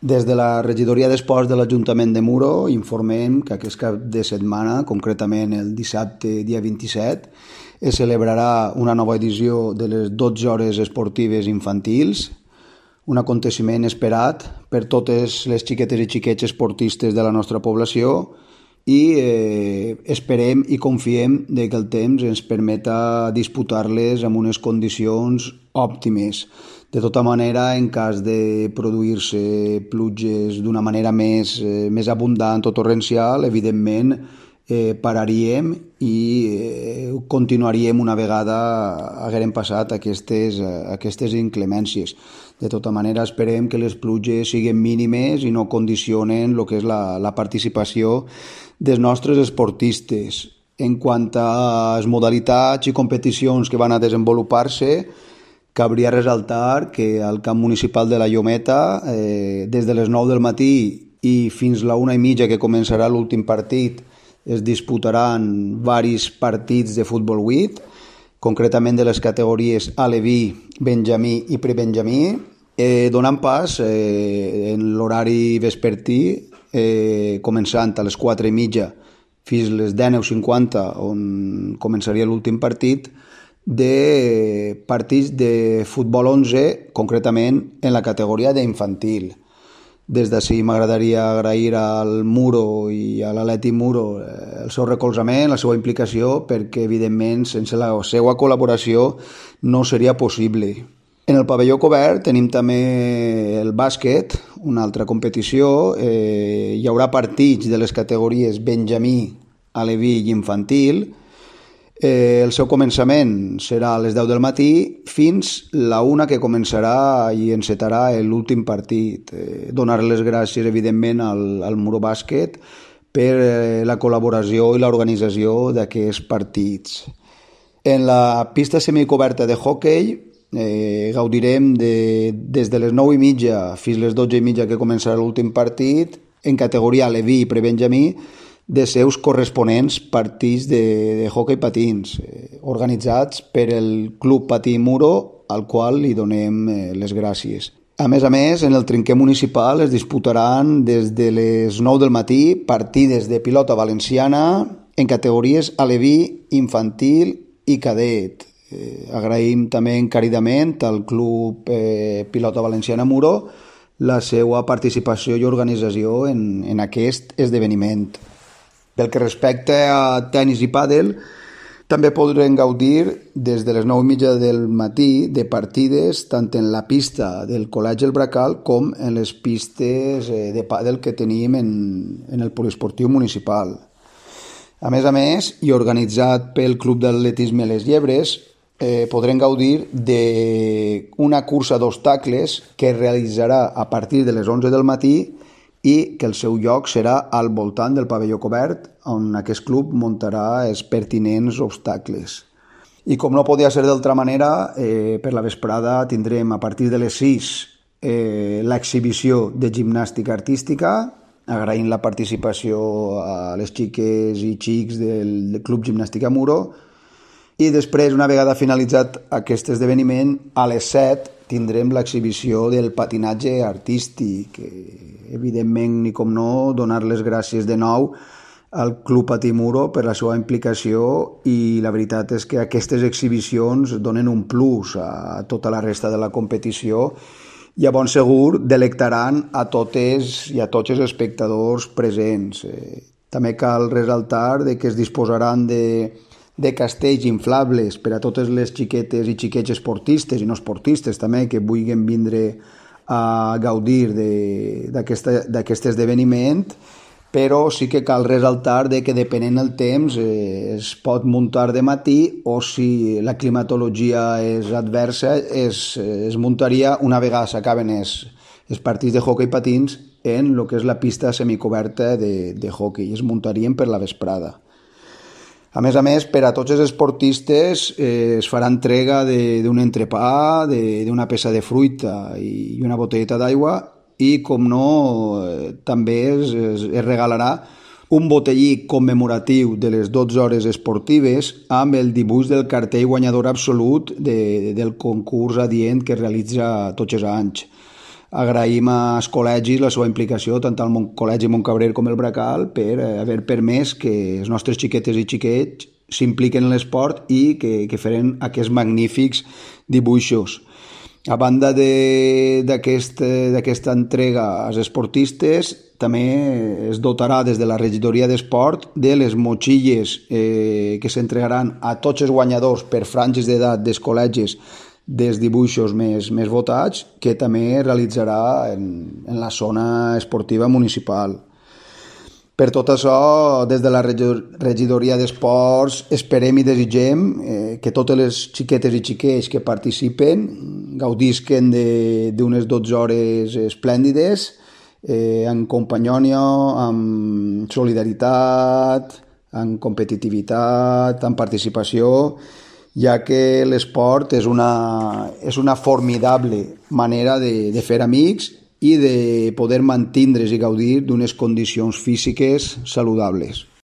Des de la regidoria d'esports de l'Ajuntament de Muro informem que aquest cap de setmana, concretament el dissabte dia 27, es celebrarà una nova edició de les 12 hores esportives infantils, un aconteciment esperat per totes les xiquetes i xiquets esportistes de la nostra població i esperem i confiem que el temps ens permeta disputar-les amb unes condicions òptimes. De tota manera, en cas de produir-se pluges d'una manera més abundant o torrencial, evidentment pararíem i continuaríem una vegada haguem passat aquestes inclemències. De tota manera, esperem que les pluges siguin mínimes i no condicionen el que és la participació dels nostres esportistes. En quant a les modalitats i competicions que van a desenvolupar-se, cabria ressaltar que al camp municipal de la Llometa, des de les 9 del matí i fins la 1:30 que començarà l'últim partit, es disputaran varis partits de futbol 8, concretament de les categories aleví, benjamí i prebenjamí, donant pas en l'horari vespertí, començant a les 4:30 fins les 19:50, on començaria l'últim partit, de partits de futbol 11, concretament en la categoria d'infantil. Des d'ací m'agradaria agrair al Muro i a l'Atlètic Muro el seu recolzament, la seva implicació, perquè evidentment sense la seva col·laboració no seria possible. En el pavelló cobert tenim també el bàsquet, una altra competició. Hi haurà partits de les categories benjamí, aleví i infantil. El seu començament serà a les 10 del matí fins la 1 que començarà i encetarà l'últim partit. Donar les gràcies, evidentment, al Muro Bàsquet per la col·laboració i l'organització d'aquests partits. En la pista semicoberta de hoquei gaudirem des de les 9:30 fins les 12:30 que començarà l'últim partit en categoria aleví i prebenjamí de seus corresponents partits de hoquei patins, organitzats per el Club Patí Muro, al qual li donem les gràcies. A més, en el trinquer municipal es disputaran des de les 9 del matí partides de pilota valenciana en categories aleví, infantil i cadet. Agraïm també encaridament al Club Pilota Valenciana Muro la seva participació i organització en aquest esdeveniment. Pel que respecta a tenis i pàdel, també podrem gaudir des de les 9:30 del matí de partides tant en la pista del Col·legi El Bracal com en les pistes de pàdel que tenim en el poliesportiu municipal. A més, i organitzat pel Club d'Atletisme Les Llebres, podrem gaudir d'una cursa d'obstacles que es realitzarà a partir de les 11 del matí i que el seu lloc serà al voltant del pavelló cobert, on aquest club muntarà els pertinents obstacles. I com no podia ser d'altra manera, per la vesprada tindrem a partir de les 6 l'exhibició de gimnàstica artística, agraint la participació a les xiques i xics del Club Gimnàstica Muro, i després, una vegada finalitzat aquest esdeveniment, a les 7 tindrem l'exhibició del patinatge artístic. Evidentment, ni com no, donar les gràcies de nou al Club Patí Muro per la seva implicació, i la veritat és que aquestes exhibicions donen un plus a tota la resta de la competició i a bon segur delectaran a totes i a tots els espectadors presents. També cal ressaltar que es disposaran de castells inflables per a totes les xiquetes i xiquets esportistes i no esportistes també que vulguin vindre a gaudir d'aquest esdeveniment, però sí que cal ressaltar que depenent del temps es pot muntar de matí, o si la climatologia és adversa es muntaria una vegada s'acaben els partits de hoquei patins en el que és la pista semicoberta de hoquei, es muntarien per la vesprada. A més, per a tots els esportistes es farà entrega d'un entrepà, d'una peça de fruita i una botelleta d'aigua, i, com no, també es regalarà un botellí commemoratiu de les 12 hores esportives amb el dibuix del cartell guanyador absolut del concurs adient que es realitza tots els anys. agraïm als col·legis la seva implicació, tant al Col·legi Montcabrer com el Bracal, per haver permès que els nostres xiquetes i xiquets s'impliquen en l'esport i que feren aquests magnífics dibuixos. A banda d'aquesta entrega als esportistes, també es dotarà des de la regidoria d'esport de les motxilles que s'entregaran a tots els guanyadors per franges d'edat dels col·legis dels dibuixos més votats, que també realitzarà en la zona esportiva municipal. Per tot això, des de la regidoria d'esports esperem i desitgem que totes les xiquetes i xiquets que participen gaudisquen d'unes 12 hores esplèndides, amb companyònia, amb solidaritat, amb competitivitat, amb participació, ja que l'esport és una formidable manera de fer amics i de poder mantindre's i gaudir d'unes condicions físiques saludables.